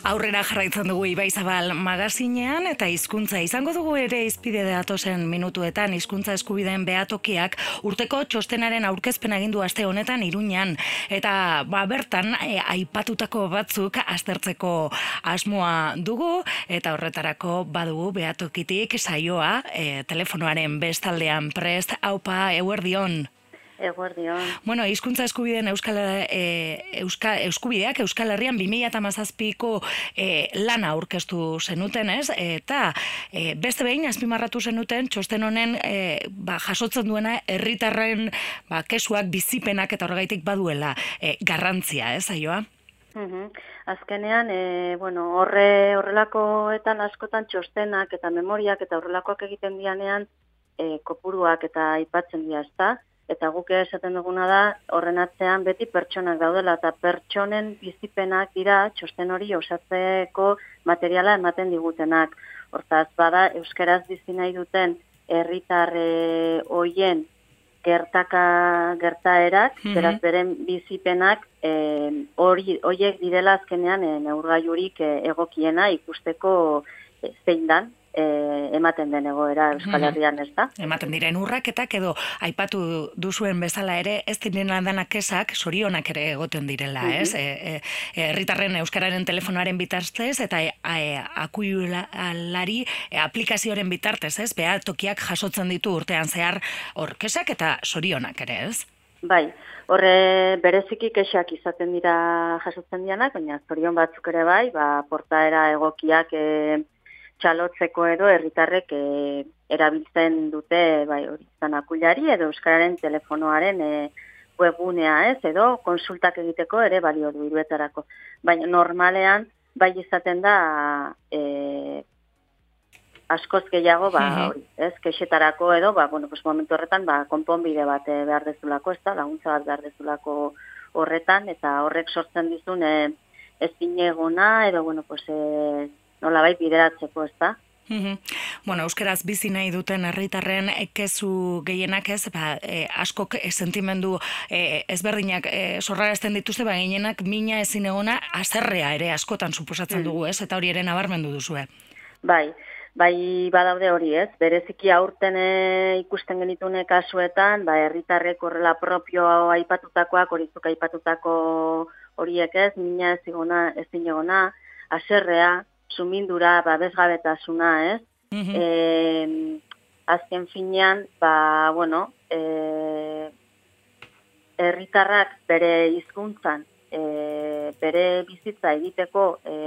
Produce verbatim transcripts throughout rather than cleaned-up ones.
Aurrera jarraitzen dugu Ibaizabal magazinean eta hizkuntza izango dugu ere hizpide datozen minutuetan. Hizkuntza eskubideen behatokiak urteko txostenaren aurkezpena egin du aste honetan Iruñan eta ba bertan e, aipatutako batzuk aztertzeko asmoa dugu eta horretarako badugu behatokitik saioa e, telefonoaren bestaldean prest. Aupa, eguerdion. Eguerdion. Bueno, hizkuntza eskubideen euskal e, euska, eskubideak Euskal Herrian bi mila hamazazpiko e, lana aurkeztu zenuten, ez? Eta e, beste behin azpimarratu zenuten txosten honen e, ba, jasotzen duena herritarren ba, kesuak, bizipenak eta horregaitik baduela e, garrantzia, ez, Aioa? Uhum. Azkenean, e, bueno, horre horrelakoetan askotan txostenak eta memoriak eta horrelakoak egiten dianean e, kopuruak eta aipatzen dira, ezta? Eta guk esaten duguna da, horren atzean beti pertsonak daudela, eta pertsonen bizipenak dira txosten hori osatzeko materiala ematen digutenak. Hortaz, bada, euskaraz bizi nahi duten herritar e, hoien gertaka gertaerak, mm-hmm. beraz beren bizipenak hori e, horiek direla azkenean e, neurgailurik e, egokiena ikusteko e, zein dan. E, ematen den egoera Euskal Herrian, ez da? Ematen diren urraketak edo aipatu duzuen bezala ere ez diren danak kesak sorionak ere egoten direla, ez? Herritarren e, e, euskararen telefonoaren bitartez eta e, e, akuilari e, aplikazioaren bitartez, ez? Behatokiak jasotzen ditu urtean zehar hor kesak eta sorionak ere, ez? Bai, horre bereziki kesak izaten dira jasotzen dianak, baina zorion batzuk ere bai, ba, portaera egokiak e, txalotzeko edo herritarrek e, erabiltzen dute bai hori izan akuilari edo euskararen telefonoaren e, webgunea, ez, edo konsultak egiteko ere balio du iruetarako. Baina normalean bai izaten da e, askoz gehiago ba hori, ez, kexetarako edo ba bueno, pues momentu horretan ba konponbide bat e, behar dezulako, ez da, laguntza bat behar dezulako horretan eta horrek sortzen dizun e, ezinegona edo bueno, pues e, nola bai bideratzeko, ez da? Mm-hmm. Bueno, euskeraz bizi nahi duten herritarren kezu gehienak ez, ba, e, askok e, sentimendu e, ezberdinak e, sorrarazten dituzte, ba, gehienak mina ezin egona azerrea ere askotan suposatzen dugu, ez? Eta hori ere nabarmendu duzue. Bai, bai badaude hori, ez? Bereziki aurten e, ikusten genitune kasuetan, ba, herritarrek horrela propio aipatutakoak, horizuk aipatutako horiek ez, mina ezin ezin egona, azerrea, sumindura, babesgabetasuna, ez? Mm-hmm. E, azken finean, ba, bueno, e, herritarrak bere hizkuntzan, e, bere bizitza egiteko e,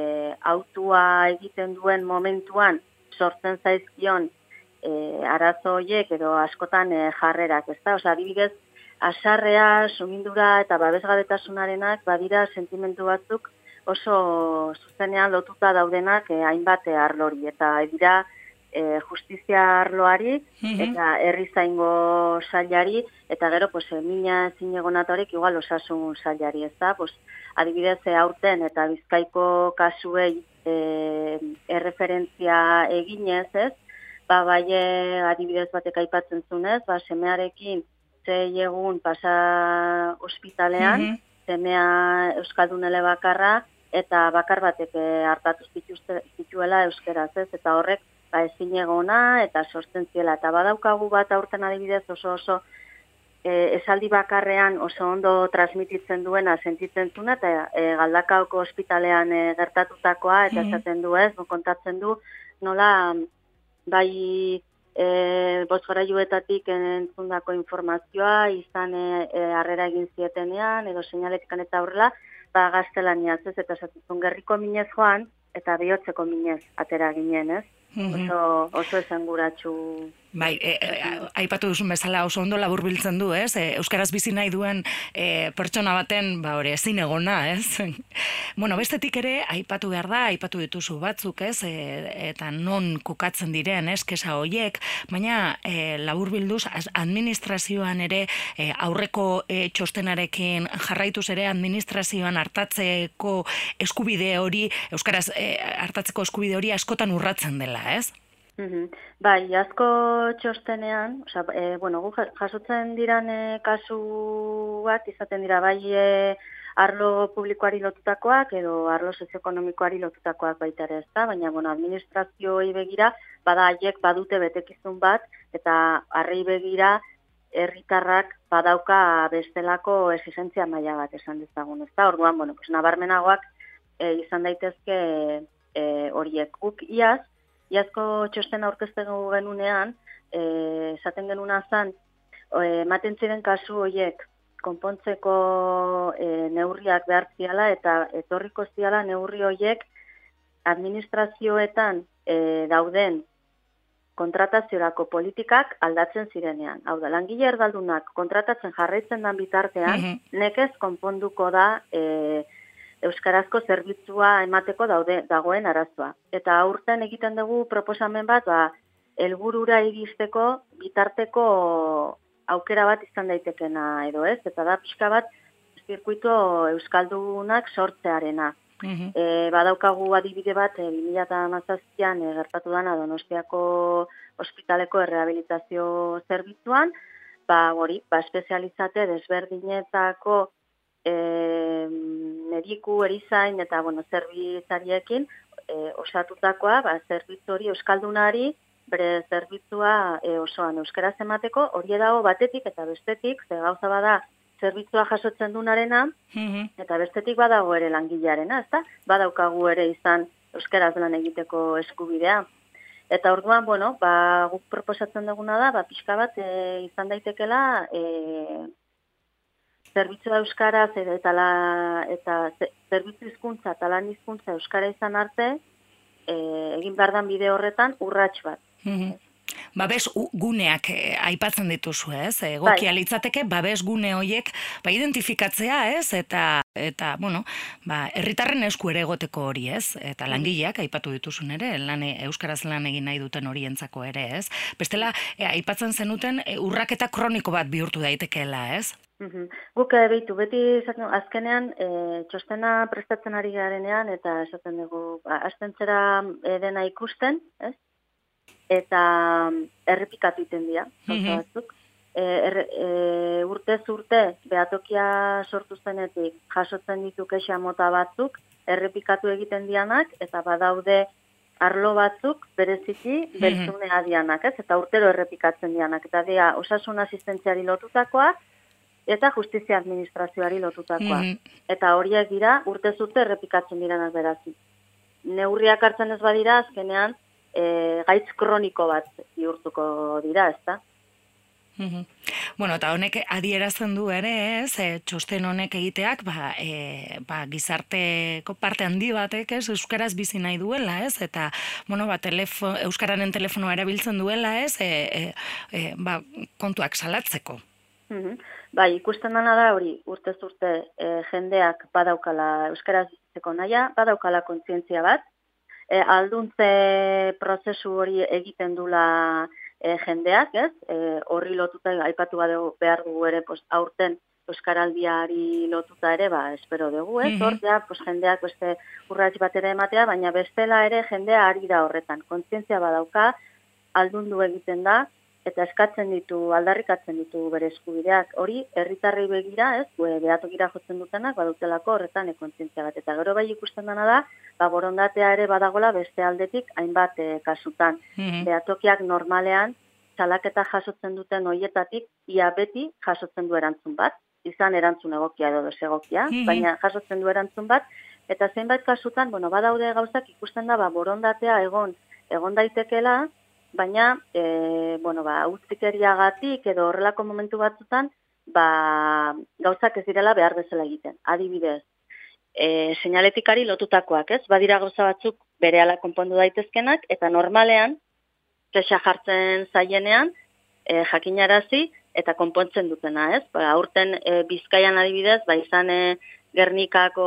autua egiten duen momentuan sortzen zaizkion e, arazo horiek edo askotan e, jarrerak, ez da? Osa, adibidez, asarrea, sumindura eta babesgabetasunarenak badira sentimendu batzuk oso zuzenean lotuta daudenak eh, hainbat arlori eta dira eh, justizia arloari mm-hmm. eta herrizaingo sailari eta gero pues mina zinegonatorek igual osasun sailari, ez da? Pues adibidez aurten eta Bizkaiko kasuei eh, erreferentzia eginez, ez? Ba bai adibidez batek aipatzen zunez, ba semearekin sei egun pasa ospitalean, mm-hmm. semea euskaldun elebakarra eta bakar batek hartatu zituela euskeraz, ez, eta horrek ba ezinegona eta sortzen ziela eta badaukagu bat aurten adibidez oso oso e, esaldi bakarrean oso ondo transmititzen duena sentitzen zuna eta e, Galdakaoko ospitalean e, gertatutakoa eta esaten du, ez, kontatzen du nola bai e, bozgorailuetatik entzundako informazioa izan e, e, harrera egin zietenean edo seinaletan eta horrela ba gaztelaniaz, ez, eta esatzen gerriko minez joan eta bihotzeko minez atera ginen, ez? Mm-hmm. Oso, oso esanguratsu. Bai, e, e, aipatu duzun bezala oso ondo laburbiltzen du, ez? E, euskaraz bizi nahi duen e, pertsona baten, ba hori, ezin egona, ez? Bueno, bestetik ere, aipatu behar da, aipatu dituzu batzuk, ez? E, eta non kokatzen diren, ez? Kesa hoiek, baina e, laburbilduz administrazioan ere e, aurreko e, txostenarekin jarraituz ere administrazioan hartatzeko eskubide hori, euskaraz e, hartatzeko eskubide hori askotan urratzen dela, ez? Bai, asko txostenean, oza, e, bueno, gu jasotzen diran e, kasu bat, izaten dira bai e, arlo publikoari lotutakoak edo arlo sozioekonomikoari lotutakoak baita ere, ezta? Baina, bueno, administrazioei begira, bada haiek badute betekizun bat, eta harrei begira herritarrak badauka bestelako exigentzia maila bat esan dezagun, ezta? Orduan, bueno, pues, nabarmenagoak e, izan daitezke horiek e, guk iaz, Iazko txosten aurkezten genunean, eh, esaten genuna zan, ematen ziren kasu horiek konpontzeko eh, neurriak behar ziala eta etorriko ziala neurri horiek administrazioetan eh, dauden kontrataziorako politikak aldatzen zirenean. Hau da, langile erdaldunak kontratatzen jarraitzen dan bitartean, mm-hmm. nekez konponduko da eh, euskarazko zerbitzua emateko daude dagoen arazoa. Eta aurten egiten dugu proposamen bat, ba, helburura iristeko bitarteko aukera bat izan daitekena edo ez, eta da pixka bat zirkuito euskaldunak sortzearena. Mm-hmm. E, badaukagu adibide bat, e, bi mila hamazazpian e, gertatu dana Donostiako ospitaleko errehabilitazio zerbitzuan, ba, hori, ba, espezializate desberdinetako E, mediku, erizain eta bueno, zerbitzariekin e, osatutakoa, ba, zerbitzu hori euskaldunari bere zerbitzua e, osoan euskaraz emateko, hori dago batetik eta bestetik, ze gauza bada zerbitzua jasotzen dunarena, mm-hmm. eta bestetik badago ere langilearena, ezta? Badaukagu ere izan euskaraz lan egiteko eskubidea. Eta orduan, bueno, ba, guk proposatzen duguna da, ba, pixka bat e, izan daitekela e, zerbitzu euskaraz eta, la, eta zerbitzu hizkuntza eta lan hizkuntza euskara izan arte, e, egin behar dan bide horretan urrats bat. Mm-hmm. Babes guneak eh, aipatzen dituzu, ez? Egokia litzateke babes gune horiek ba identifikatzea, ez? Eta eta bueno, ba herritarren esku ere egoteko hori, ez? Eta langileak aipatu dituzun ere, lan euskaraz lan egin nahi duten horientzako ere, ez? Bestela eh, aipatzen zenuten eh, urraketa kroniko bat bihurtu daitekeela, ez? Uhum. Guk behitu, beti esaten, azkenean e, txostena prestatzen ari garenean eta esaten dugu, ba, astentzera e, dena ikusten, ez? Eta errepikatu iten dira, gauza batzuk. E, er, e, urtez urte, behatokia sortu zenetik jasotzen ditu kexa mota batzuk, errepikatu egiten dianak, eta badaude arlo batzuk bereziki beltzunea dianak, ez? Eta urtero errepikatzen dianak, eta dia osasun asistentziari lotutakoak, eta justizia administrazioari lotutakoa. Mm-hmm. Eta horiek dira, urtez urte errepikatzen diranak berazi. Neurriak hartzen ez badira, azkenean, e, gaitz kroniko bat bihurtuko dira, ezta? Mm-hmm. Bueno, eta honek adierazten du ere, ez, e, txosten honek egiteak, ba, e, ba, gizarteko parte handi batek, ez, euskaraz bizi nahi duela, ez, eta, bueno, ba, telefo, euskararen telefonoa erabiltzen duela, ez, e, e, e, ba, kontuak salatzeko. Mm-hmm. Bai, ikusten dana da hori, urtez urte e, jendeak badaukala euskaraz bizitzeko naia, badaukala kontzientzia bat, e, alduntze prozesu hori egiten dula e, jendeak, ez? E, horri lotuta aipatu badegu behar dugu ere, pues, aurten euskaraldiari lotuta ere, ba, espero dugu, ez? Hor, ja, pues, jendeak beste urrats bat ere ematea, baina bestela ere jendea ari da horretan. Kontzientzia badauka, aldundu egiten da, eta eskatzen ditu, aldarrikatzen ditu bere eskubideak. Hori, herritarrei begira, ez, behatokira jotzen dutenak, badutelako horretan ekontzientzia bat. Eta gero bai ikusten dena da, ba, borondatea ere badagola beste aldetik hainbat e, kasutan. Mm-hmm. Behatokiak normalean, salaketa jasotzen duten hoietatik, ia beti jasotzen du erantzun bat, izan erantzun egokia edo desegokia, mm-hmm. baina jasotzen du erantzun bat, eta zeinbait kasutan, bueno, badaude gauzak ikusten da, ba, borondatea egon, egon daitekela, baina, e, bueno, ba, utzikeriagatik edo horrelako momentu batzutan, ba, gauzak ez direla behar bezala egiten. Adibidez, e, seinaletikari lotutakoak, ez? Badira gauza batzuk berehala konpondu daitezkenak, eta normalean, kexa jartzen zaienean, e, jakinarazi eta konpontzen dutena, ez? Ba, aurten e, Bizkaian adibidez, ba, izan e, Gernikako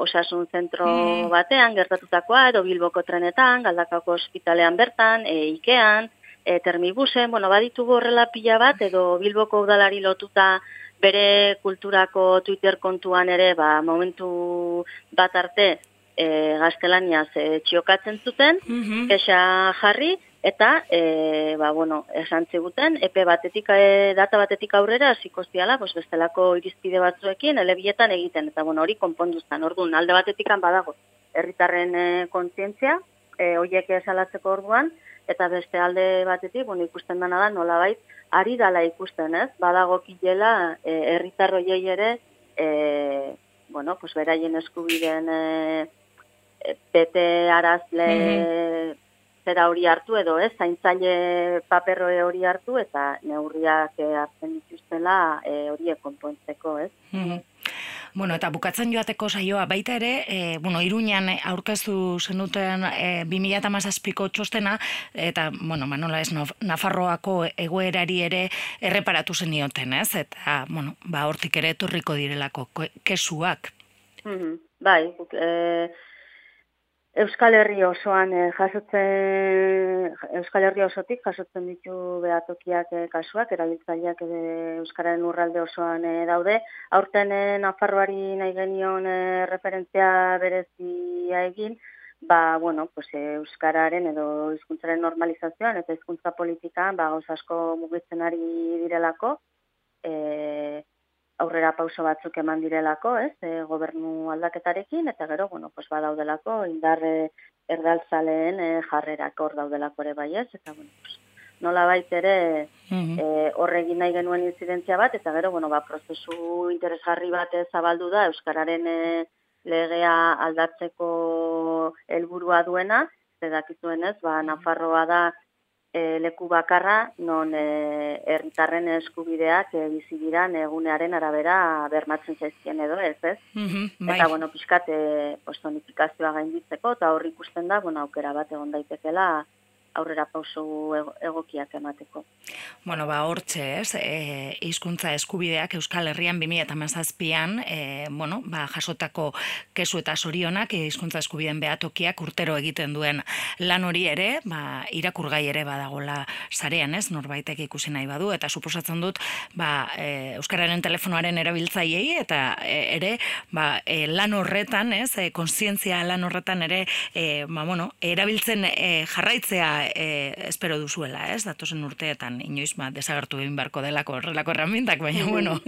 osasun zentro mm. batean, gertatutakoa, edo Bilboko trenetan, Galdakako ospitalean bertan, e, Ikean, e, Termibusen, bueno, baditugu horrela pila bat, edo Bilboko udalari lotuta bere kulturako Twitter kontuan ere, ba, momentu bat arte, e, gaztelaniaz e, txiokatzen zuten, mm-hmm. kexa jarri, eta e, ba, bueno, esan ziguten, epe batetik, e, data batetik aurrera hasiko ziala, pues bestelako irizpide batzuekin elebietan egiten, eta bueno, hori konponduztan. Orduan, alde batetik badago herritarren e, kontzientzia, e, horiek esalatzeko orduan, eta beste alde batetik, bueno, ikusten dena da, nolabait, ari dala ikusten, ez? Badago kilela herritar e, hoiei ere, e, bueno, pues beraien eskubideen e, bete arazle mm-hmm. zera hori hartu edo, ez? Zaintzaile paperroe hori hartu eta neurriak hartzen dituztela e, horiek konpontzeko, ez? Mm-hmm. Bueno, eta bukatzen joateko saioa baita ere, e, bueno, Iruñan aurkeztu zenuten e, bi mila hamazazpiko txostena, eta, bueno, Manola ez, Nafarroako egoerari ere erreparatu zenioten, ez? Eta, bueno, ba, hortik ere etorriko direlako kesuak. Mm-hmm. Bai, e, Euskal Herri osoan eh, jasotzen, Euskal Herri osotik jasotzen ditu behatokiak eh, kasuak, erabiltzaileak eh, Euskararen urralde osoan eh, daude. Aurten eh, Nafarroari nahi genion eh, referentzia berezia egin, ba, bueno, pues, eh, Euskararen edo hizkuntzaren normalizazioan eta hizkuntza politikan ba, gauz asko mugitzen ari direlako, eh, aurrera pauso batzuk eman direlako, ez, e, gobernu aldaketarekin, eta gero, bueno, pues badaudelako, indarre erdaltzaleen e, jarrerak hor daudelako ere bai ez, eta, bueno, pues, nola baitere mm-hmm. e, horregin nahi genuen inzidentzia bat, eta gero, bueno, ba, prozesu interesgarri bat zabaldu da, Euskararen e, legea aldatzeko helburua duena, zedakizuen ez, ba, Nafarroa da, E, leku bakarra, non e, herritarren eskubideak e, bizigiran egunearen arabera bermatzen zaizkien edo ez, ez? Mm-hmm, bai. Eta, bueno, pixkat, e, personifikazioa gainditzeko, eta horri ikusten da, bueno, aukera bat egon daitekela aurrera pauso egokiak emateko. Bueno, ba, hortxe, ez, e, hizkuntza eskubideak Euskal Herrian bi mila hamazazpian, e, bueno, ba, jasotako kesu eta sorionak hizkuntza eskubideen behatokiak urtero egiten duen lan hori ere, ba, irakurgai ere badagola sarean, ez, norbaitek ikusi nahi badu, eta suposatzen dut, ba, e, Euskararen telefonoaren erabiltzaileei, eta e, ere, ba, e, lan horretan, ez, e, kontzientzia lan horretan ere, e, ba, bueno, erabiltzen e, jarraitzea E, espero duzuela, ez? Datozen urteetan inoiz ba, desagertu egin beharko delako horrelako herramientak, baina bueno.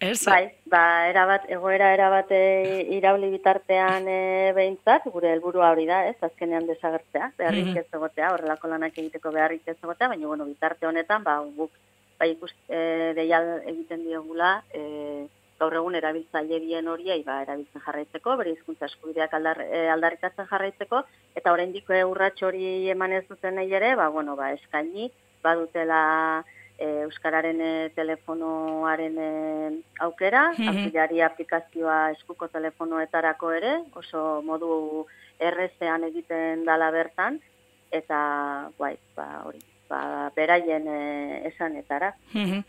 Ez? Bai, ba, erabat, egoera erabat irauli bitartean e, behintzat, gure helburua hori da, ez? Azkenean desagertzea, beharrik mm-hmm. ez egotea, horrelako lanak egiteko beharrik ez egotea, baina bueno, bitarte honetan, ba, guk bai ikust e, deial egiten diogula, e, gaur egun erabiltzaile bien horiei ba, erabiltzen jarraitzeko, bere hizkuntza eskubideak aldar, e, aldarrikatzen jarraitzeko, eta oraindik urrats hori eman ez duten ere, ba, bueno, ba, eskaini, badutela e, Euskararen e, telefonoaren e, aukera, mm-hmm. auxiliari aplikazioa eskuko telefonoetarako ere, oso modu errezean egiten dala bertan, eta bai, ba, hori. Ba, beraien e, esanetara. Mm-hmm.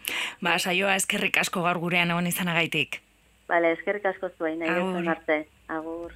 Ba, saioa eskerrik asko gaur gurean egon izanagaitik. Bale, eskerrik asko zuen, nahi arte. Agur.